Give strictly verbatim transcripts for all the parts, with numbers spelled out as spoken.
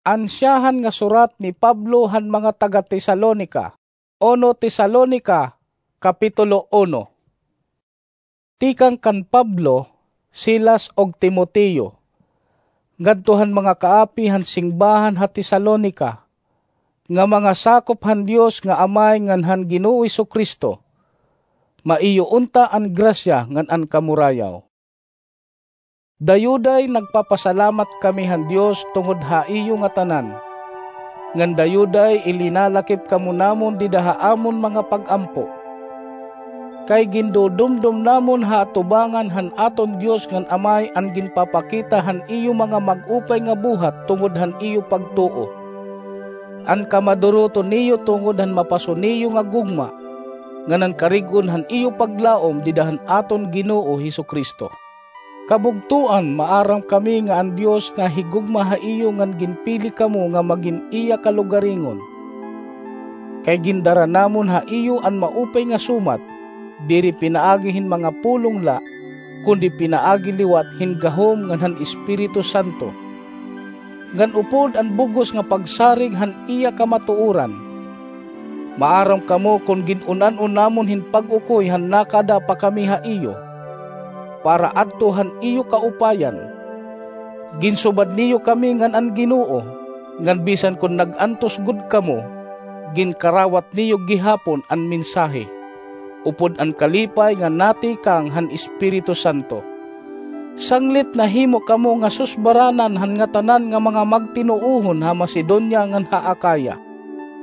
Ansyahan nga surat ni Pablo han mga taga-Tesalonica. Uno Tesalonica, Kapitulo uno. Tikang kan Pablo, Silas, ug Timoteo, ngadto han mga kaapi han singbahan ha Tesalonica, nga mga sakop han Dios nga Amay ngan han Ginoong Jesu-Cristo. Maiyo unta an grasya ngan an kamurayaw. Dayuday nagpapasalamat kami han Dios tungod ha iyo ngatanan, ngan dayuday ilinalakip kamo namon dida ha amon mga pag-ampo. Kay gindudumdom namon ha atubangan han aton Dios ngan Amay an ginpapakita han iyo mga mag-upay nga buhat tungod han iyo pagtuo, an kamaduroton niyo tungod han mapaso niyo nga gugma, ngan an karig-on han iyo paglaom dida han aton Ginoo Jesu-Cristo. Kabugtoan, maaram kami nga an Dios nahigugma ha iyo ngan ginpili kamo nga magin iya kalugaringon. Kay gindara namon ha iyo an maupay nga sumat, diri pinaagi hin mga pulong la, kundi pinaagi liwat hin gahom ngan han Espiritu Santo, ngan upod an bug-os nga pagsarig han iya kamatuoran. Maaram kamo kon gin-un-an-o namon hin pag-ukoy han nakada pa kami ha iyo, para adto han iyo kaupayan. Ginsubad niyo kami ngan an Ginoo, ngan bisan kon nag-antos gud kamo, ginkarawat niyo gihapon an mensahe, upod an kalipay nga natikang han Espiritu Santo. Sanglit nahimo kamo nga susbaranan han ngatanan nga mga magtinuohon ha Macedonia ngan ha Acaya.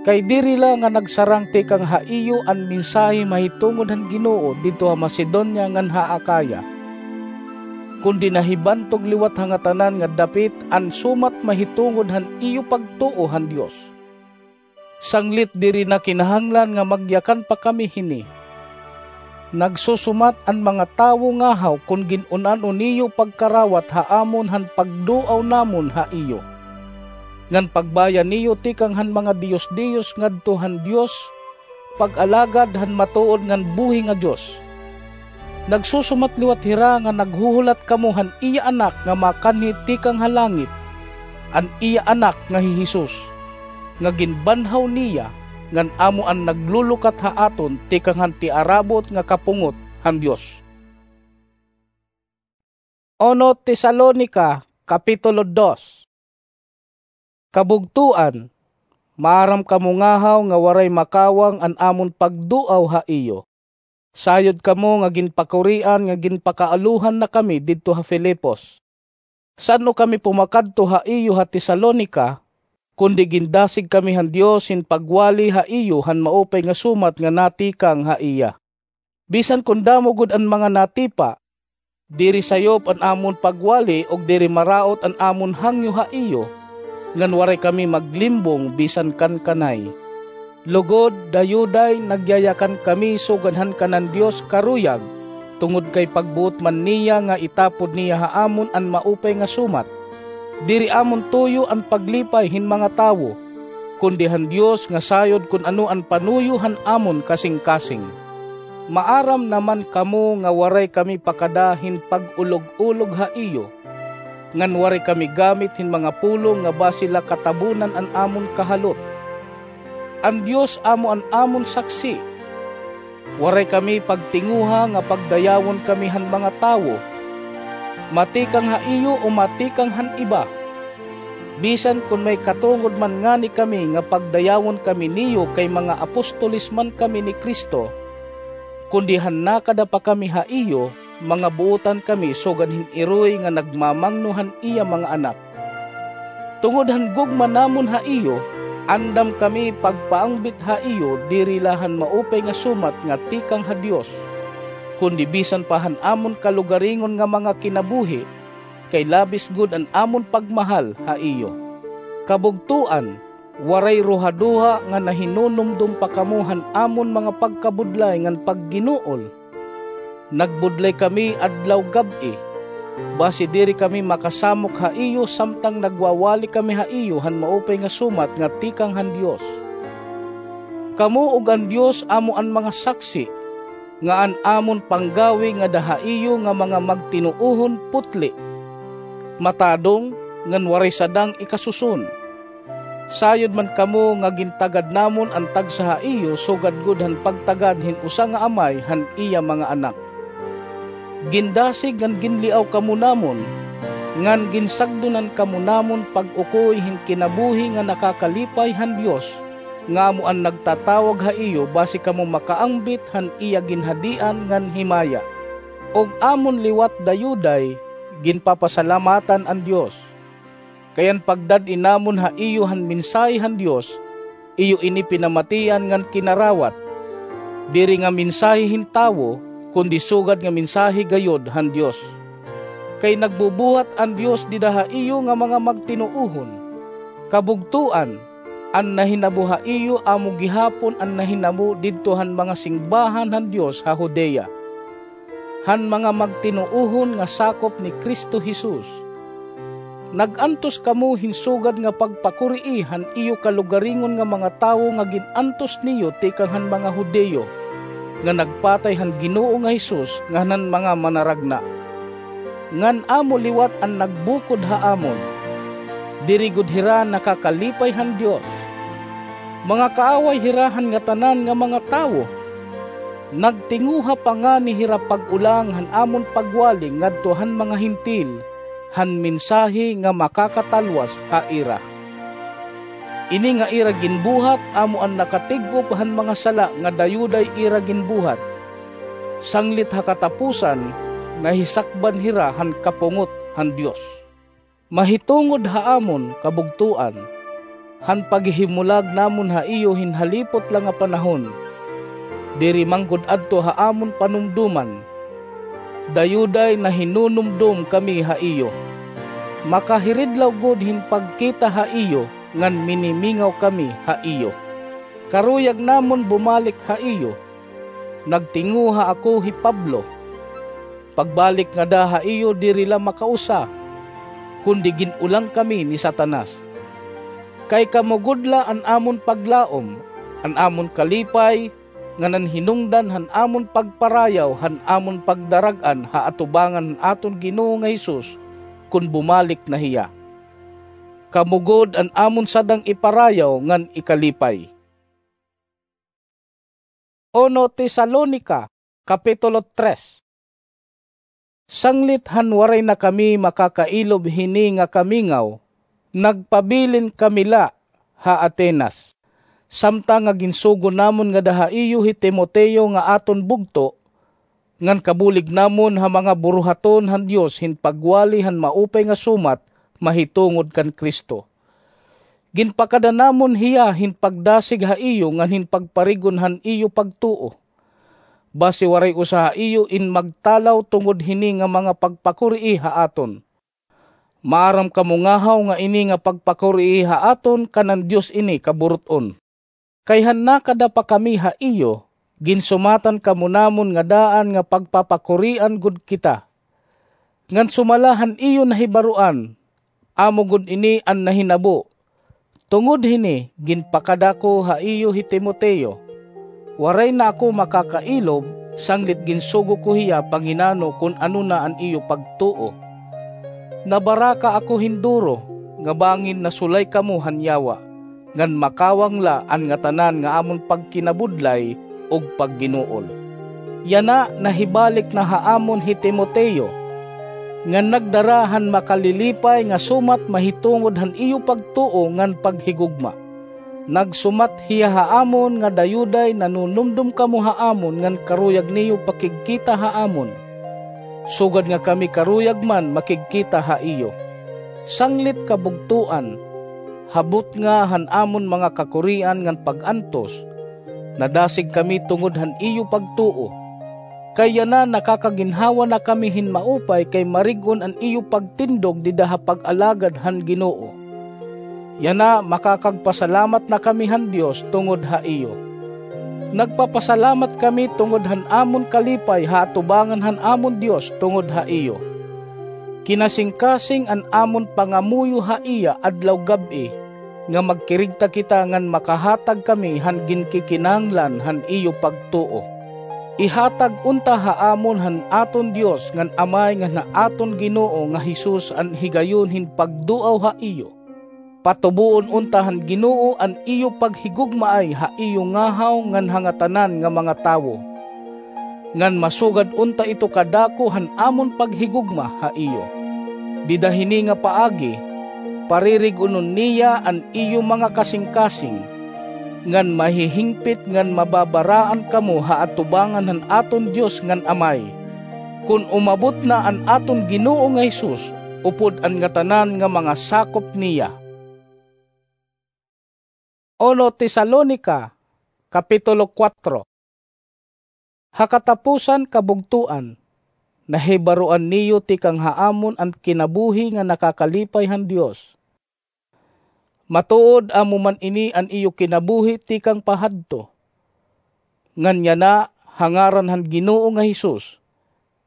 Kay diri la nga nagsarang tikang ha iyo an mensahe mahitungod han Ginoo didto ha Macedonia ngan ha Acaya, kundi nahibantog liwat ha ngatanan nga dapit an sumat mahitungod han iyo pagtuo han Dios. Sanglit diri na kinahanglan nga magyakan pa kami hini. Nagsusumat an mga tawo ngahaw kon gin-un-an-o niyo pagkarawat ha amon han pagduaw namon ha iyo, ngan pagbaya niyo tikang han mga diyos-diyos ngadto han Dios, pag-alagad han matuod ngan buhi nga Dios. Nagsusumat liwat hira nga naghuhulat kamo han iya Anak nga makanhi tikang ha langit, an iya Anak nga hi Jesus, nga ginbanhaw niya, ngan amo an naglulukat ha aton tikang han tiarabot nga kapungot han Dios. Uno Tesalonica, Kapitulo dos. Kabugtoan, maaram kamo ngahaw nga waray makawang an amon pagduaw ha iyo. Sayod kamo nga ginpakurian nga ginpakaalohan na kami didto ha Filipos. San-o kami pumakadto ha iyo ha Tesalonica, kundi gindasig kami han Dios hin pagwali ha iyo han maupay nga sumat nga natikang ha iya. Bisan kon damo gud an mga natipa, diri sayop an amon pagwali ug diri maraot an amon hangyo ha iyo, ngan waray kami maglimbong bisan kan kanay. Lugod, dayuday, nagyayakan kami sugad han kanan Dios karuyag, tungod kay pagbuot man niya nga itapod niya ha amon an maupay nga sumat. Diri amon tuyo an paglipay hin mga tawo, kundi han Dios nga sayod kon ano an panuyo han amon kasingkasing. Maaram naman kamo nga waray kami pakada hin pag-ulog-ulog ha iyo, ngan waray kami gamit hin mga pulong nga basi la katabunan an amon kahalot. An Dios amo an amon saksi. Waray kami pagtinguha nga pagdayawon kami han mga tawo, matikang ha iyo o matikang han iba. Bisan kon may katungod man ngani kami nga pagdayawon kami niyo kay mga apostoles man kami ni Cristo, kundi han nakada pa kami ha iyo, mga buotan kami sugad hin iroy nga nagmamangno han iya mga anak. Tungod han gugma namon ha iyo, andam kami pagpaangbit ha iyo diri la han maupay nga sumat nga tikang ha Dios, kundi bisan pa han amon kalugaringon nga mga kinabuhi, kay labis gud an amon pagmahal ha iyo. Kabugtoan, waray ruhaduha nga nahinunumdom pa kamo han amon mga pagkabudlay ngan pagginuol. Nagbudlay kami adlaw-gab-i, basi diri kami makasamok ha iyo samtang nagwawali kami ha iyo han maupay nga sumat nga tikang han Dios. Kamo ug an Dios amo an mga saksi nga an amon panggawi ngada ha iyo nga mga magtinuohon putli, matadong, ngan waray sadang ikasuson. Sayod man kamo nga gintagad namon an tagsa ha iyo sugad gud han pagtagad hin usa nga amay han iya mga anak. Gindasig ngan ginliaw kamo namon, ngan ginsagdonan kamo namon pag-ukoy hin kinabuhi nga nakakalipay han Dios, nga amo an nagtatawag ha iyo basi kamo makaangbit han iya ginhadian ngan himaya. Ug amon liwat dayuday, ginpapasalamatan an Dios. Kay an pagdad-i namon ha iyo han mensahe han Dios, iyo ini pinamatian ngan kinarawat, diri nga mensahe hin tawo, kundi sugad nga mensahe gayod han Dios. Kay nagbubuhat an Dios dida ha iyo nga mga magtinuohon. Kabugtoan, an nahinabo ha iyo amo gihapon an nahinabo didto han mga singbahan han Dios ha Judea, han mga magtinuohon nga sakop ni Cristo Jesus. Nag-antos kamo hin sugad nga pagpakurii han iyo kalugaringon nga mga tawo nga gin-antos niyo tikang han mga Judio, nga nagpatay han Ginoo nga Jesus ngan han mga manaragna. Ngan amo liwat an nagbukod ha amon. Diri gud hira nakakalipay han Dios. Mga kaaway hira han ngatanan nga mga tawo. Nagtinguha pa ngani hira pag-ulang han amon pagwali ngadto han mga Hentil, han mensahe nga makakatalwas ha ira. Ini nga ira ginbuhat amo an nakatig-op han mga sala nga dayuday ira ginbuhat. Sanglit ha katapusan, nahisakban hira han kapungot han Dios. Mahitungod ha amon kabugtoan, han paghihimulag namon ha iyo hin halipot la nga panahon, diri man gud adto ha amon panumdoman, dayuday nahinunumdom kami ha iyo. Makahiridlaw gud hin pagkita ha iyo ngan minimingaw kami ha iyo. Karuyag namon bumalik ha iyo. Nagtinguha ako hi Pablo. Pagbalik ngada ha iyo diri la makausa, kundi gin-ulang kami ni Satanas. Kay kamo gud la an amon paglaom, an amon kalipay, ngan an hinungdan han amon pagparayaw han amon pagdarag-an ha atubangan han aton Ginoo nga Jesus kon bumalik na hiya. Kamo gud an amon sadang iparayaw ngan ikalipay. Uno Tesalonica, Kapitulo tres. Sanglit han waray na kami makakailob hini nga kamingaw, nagpabilin kami la ha Atenas, samtang nga ginsugo namon ngada ha iyo hi Timoteo nga aton bugto, ngan kabulig namon ha mga buruhaton han Dios hin pagwali han maupay nga sumat mahitungod kan Cristo. Ginpakada namon hiya hin pagdasig ha iyo ngan hin pagparig-on han iyo pagtuo. Basi waray usa ha iyo in magtalaw tungod hini nga mga pagpakurii ha aton. Maaram kamo ngahaw nga ini nga pagpakurii ha aton kan an Dios ini kaburut-on. Kay han nakada pa kami ha iyo, ginsumatan kamo namon nga daan nga pagpapakurian gud kita. Ngan sumala han iyo nahibaroan, amo gud ini an nahinabo. Tungod hini, ginpakada ko ha iyo hi Timoteo. Waray na ako makakailob, sanglit ginsugo ko hiya panginano kon ano na an iyo pagtuo. Nabaraka ako hin duro, nga bangin nasulay kamo han yawa, ngan makawang la an ngatanan nga amon pagkinabudlay ug pagginuol. Yana nahibalik na ha amon hi Timoteo, ngan nagdara han makalilipay nga sumat mahitungod han iyo pagtuo ngan paghigugma. Nagsumat hiya ha amon nga dayuday nanunumdom kamo ha amon ngan karuyag niyo pakigkita ha amon, sugad nga kami karuyag man makigkita ha iyo. Sanglit kabugtoan, ha butnga han amon mga kakurian ngan pag-antos, nadasig kami tungod han iyo pagtuo. Kay yana nakakaginhawa na kami hin maupay kay marig-on an iyo pagtindog dida ha pag-alagad han Ginoo. Yana makakagpasalamat na kami han Dios tungod ha iyo. Nagpapasalamat kami tungod han amon kalipay ha atubangan han amon Dios tungod ha iyo. Kinasingkasing an amon pangamuyo ha iya adlaw gab-i, nga magkirigta kita ngan makahatag kami han ginkikinahanglan han iyo pagtuo. Ihatag unta ha amon han aton Dios ngan Amay ngan ha aton Ginoo nga Jesus an higayon hin pagduaw ha iyo. Patuboon unta han Ginoo an iyo paghigugmaay ha iyo ngahaw ngan ha ngatanan nga mga tawo, ngan masugad unta ito kadako han amon paghigugma ha iyo. Dida hini nga paagi, paririg-onon niya an iyo mga kasingkasing, ngan mahihingpit ngan mababaraan kamo ha atubangan han aton Dios ngan Amay, kon umabot na an aton Ginoo nga Jesus upod an ngatanan nga mga sakop niya. Uno Tesalonica, Kapitulo kuwatro. Ha katapusan, kabugtoan, nahibaroan niyo tikang ha amon an kinabuhi nga nakakalipay han Dios. Matuod amo man ini an iyo kinabuhi tikang pahadto. Ngan yana, ha ngaran han Ginoo nga Jesus,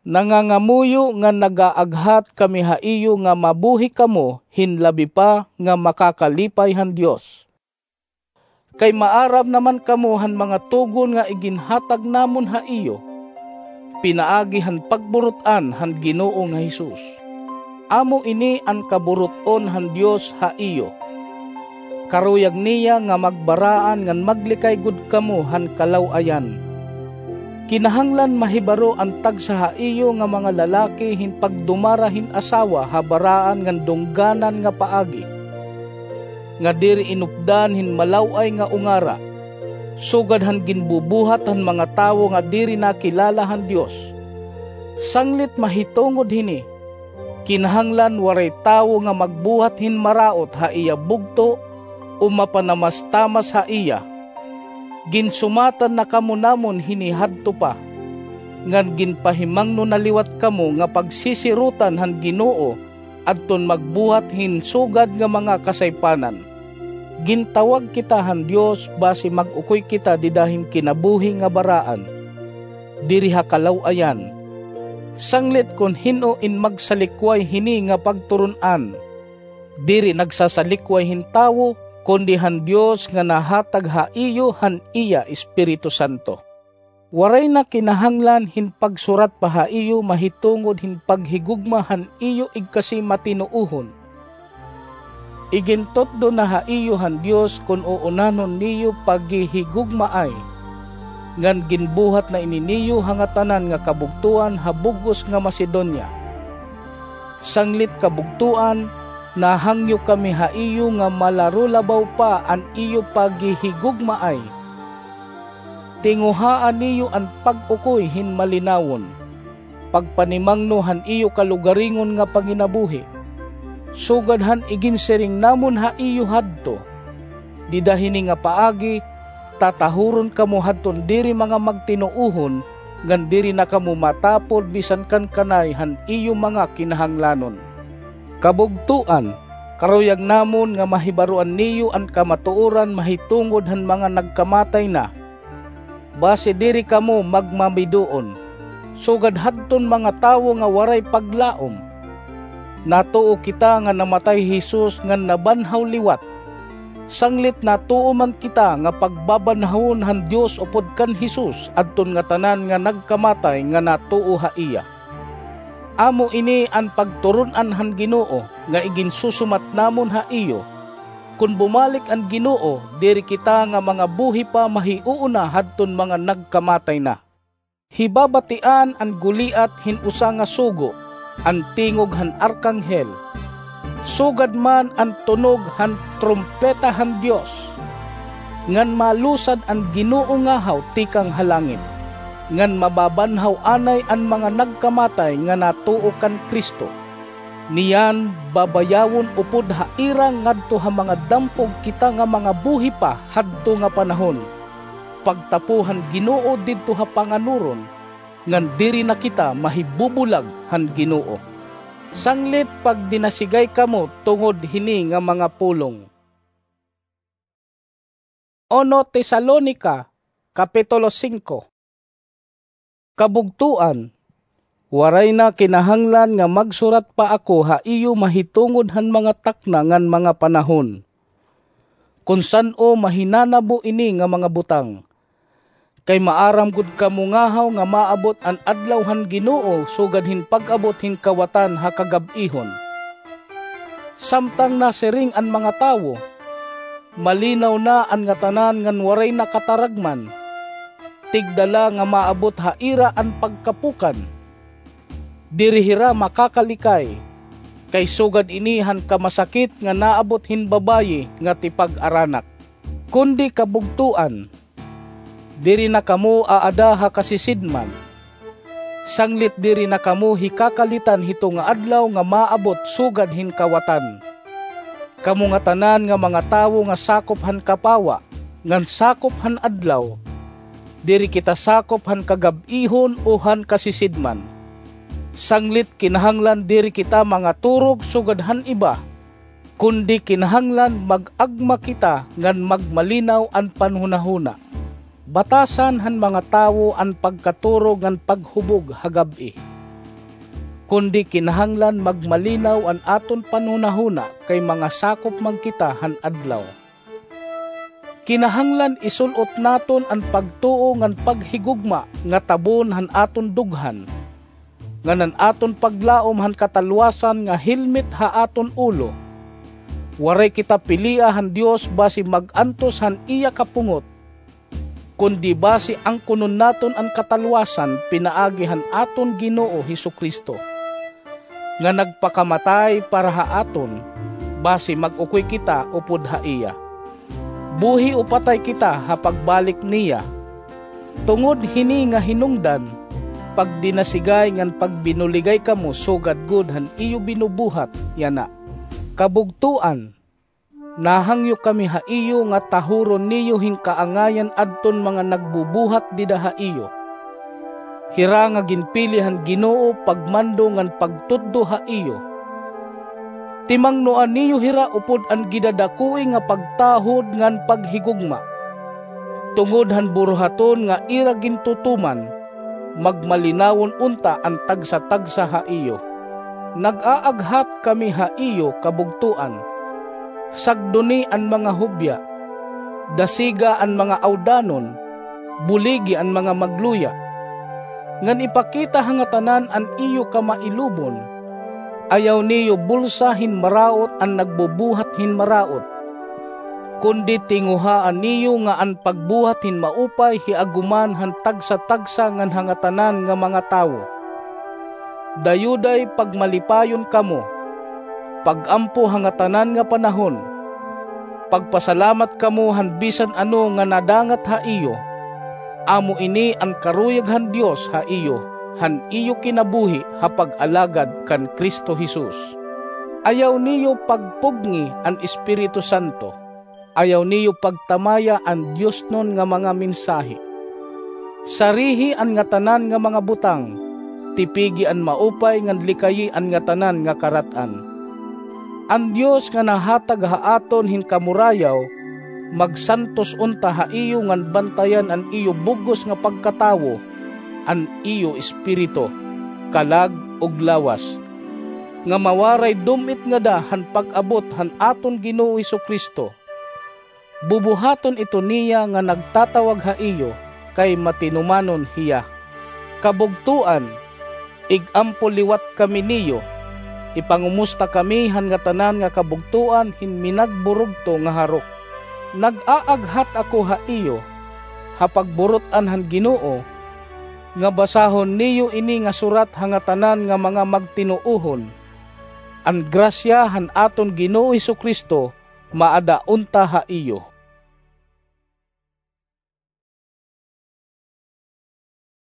nangangamuyo ngan nagaaghat kami ha iyo nga mabuhi kamo hin labi pa nga makakalipay han Dios. Kay maaram naman kamo han mga tugon nga iginhatag namon ha iyo, pinaagi han pagburut-an han Ginoo nga Jesus. Amo ini an kaburut-on han Dios ha iyo. Karuyag niya nga magbaraan ngan maglikay gud kamo han kalaw-ayan. Kinahanglan mahibaro an tagsa ha iyo nga mga lalaki hin pagdumara hin asawa ha baraan ngan dungganan nga paagi, nga diri inupdan hin malaw-ay nga ungara, sugad han ginbubuhat han mga tawo nga diri nakilala han Dios. Sanglit mahitungod hini, kinahanglan waray tawo nga magbuhat hin maraot ha iya bugto o mapanamastamas ha iya. Ginsumatan na kamo namon hini hadto pa, ngan ginpahimangno na liwat kamo nga pagsisirotan han Ginoo adton magbuhat hin sugad nga mga kasaypanan. Gintawag kita han Dios basi mag-ukoy kita dida hin kinabuhi nga baraan, diri ha kalaw-ayan. Sanglit kon hin-o in magsalikway hini nga pagturon-an, diri nagsasalikway hin tawo, kundi han Dios nga nahatag ha iyo han iya Espiritu Santo. Waray na kinahanglan hin pagsurat pa ha iyo mahitungod hin paghigugma han iyo igkasi matinuohon. Igintutdo na ha iyo han Dios kon uunahon niyo paghihigugmaay, ngan ginbuhat na ini niyo ha ngatanan nga kabugtoan ha bug-os nga Macedonia. Sanglit kabugtoan, nahangyo kami ha iyo nga malarulabaw pa an iyo paghihigugmaay. Tinguhaa niyo an pag-ukoy hin malinawon, pagpanimangno han iyo kalugaringon nga panginabuhi, sugad han iginsiring namon ha iyo hadto. Dida hini nga paagi, tatahuron kamo hadton diri mga magtinuohon, ngan diri na kamo matapod bisan kan kanay han iyo mga kinahanglanon. Kabugtoan, karuyag namon nga mahibaroan niyo an kamatuoran mahitungod han mga nagkamatay na, basi diri kamo magmamiduon, sugad hadton mga tawo nga waray paglaom. Natuo kita nga namatay hi Jesus ngan nabanhaw liwat. Sanglit natuo man kita nga pagbabanhawon han Dios upod kan Jesus adton ngatanan nga nagkamatay nga natuo ha iya. Amo ini an pagturon-an han Ginoo nga iginsusumat namon ha iyo. Kon bumalik an Ginoo, diri kita nga mga buhi pa mahiuuna hadton mga nagkamatay na. Hibabatian an Goliat hin usa nga sugo, an tingog han arkanghel, sugad man an tunog han trumpeta han Dios, ngan malusad an Ginoo ngahaw tikang ha langit, ngan mababanhaw anay an mga nagkamatay nga natuo kan Cristo. Niyan, babayawon upod ha ira ngadto ha mga dampog kita nga mga buhi pa hadto nga panahon, pagtapo han Ginoo didto ha panganuron, ngan diri na kita mahibubulag han Ginoo. Sanglit pagdinasigay kamo tungod hini nga mga pulong. Uno Tesalonica, Kapitulo singko. Kabugtoan, waray na kinahanglan nga magsurat pa ako ha iyo mahitungod han mga takna ngan mga panahon, kon san-o mahinanabo ini nga mga butang. Kay maaram gud kamo ngahaw nga maabot an adlaw han Ginoo sugad hin pag-abot hin kawatan ha kagab-ihon. Samtang nasiring an mga tawo, "Malinaw na an ngatanan ngan waray na kataragman. Tigda la nga maabot ha ira an pagkapukan. Diri hira makakalikay, kay sugad ini han kamasakit nga naabot hin babayi nga tipag-aranak." Kundi kabugtoan, diri na kamo aada ha kasisidman, sanglit diri na kamo hikakalitan hito nga adlaw nga maabot sugad hin kawatan. Kamo ngatanan nga mga tawo nga sakop han kapawa ngan sakop han adlaw, diri kita sakop han kagab-ihon o han kasisidman. Sanglit kinahanglan diri kita mangaturog sugad han iba, kundi kinahanglan mag-agma kita ngan magmalinaw an panhunahuna. Batasan han mga tawo an pagkaturog ngan paghubog ha gab-i, kundi kinahanglan magmalinaw an aton panhunahuna, kay mga sakop man kita han adlaw. Kinahanglan isul-ot naton an pagtuo ngan paghigugma nga tabon han aton dughan, ngan an aton paglaom han katalwasan nga helmet ha aton ulo. Waray kita pilia han Dios basi mag-antos han iya kapungot, kundi basi angkonon naton an katalwasan pinaagi han aton Ginoo Jesu-Cristo, nga nagpakamatay para ha aton, basi mag-ukoy kita upod ha iya, buhi o patay kita ha pagbalik niya. Tungod hini nga hinungdan, pagdinasigay ngan pagbinuligay kamo sugad gud han iyo binubuhat yana. Kabugtoan, nahangyo kami ha iyo nga tahuron niyo hin kaangayan adton mga nagbubuhat dida ha iyo, hira nga ginpili han Ginoo pagmando ngan pagtutdo ha iyo. Timangnoa niyo hira upod an gidadakoi nga pagtahod ngan paghigugma. Tungod han buruhaton nga ira gintutuman, magmalinawon unta an tagsa-tagsa ha iyo. Nag-aaghat kami ha iyo, kabugtoan. Sagdoni an mga hubya, dasiga an mga awdanon, buligi an mga magluya. Ngan ipakita ha ngatanan an iyo kamailubon. Ayaw niyo bulsa hin maraot an nagbubuhat hin maraot, kundi tinguhaa niyo nga an pagbuhat hin maupay hiaguman han tagsa-tagsa ngan ha ngatanan nga mga tawo. Dayuday pagmalipayon kamo, pag-ampo ha ngatanan nga panahon, pagpasalamat kamo han bisan ano nga nadangat ha iyo. Amo ini an karuyag han Dios ha iyo, han iyo kinabuhi ha pag-alagad kan Cristo Jesus. Ayaw niyo pagpugngi an Espiritu Santo. Ayaw niyo pagtamaya an diosnon nga mga mensahe. Sarihi an ngatanan nga mga butang, tipigi an maupay ngan likayi an ngatanan nga karat-an. An Dios nga nahatag ha aton hin kamurayaw, magsantos unta ha iyo ngan bantayan an iyo bug-os nga pagkatawo, an iyo espiritu, kalag ug lawas, nga mawaray dum-it ngada han pag-abot han aton Ginoo Jesu-Cristo. Bubuhaton ito niya nga nagtatawag ha iyo, kay matinumanon hiya. Kabugtoan, ig-ampo liwat kami niyo. Ipangumusta kami han ngatanan nga kabugtoan hin minagburugto nga harok. Nag-aaghat ako ha iyo, ha pagburut-an han Ginoo, nga basahon niyo ini nga surat ha ngatanan nga mga magtinuohon. An grasya han aton Ginoo Jesu-Cristo maada unta ha iyo.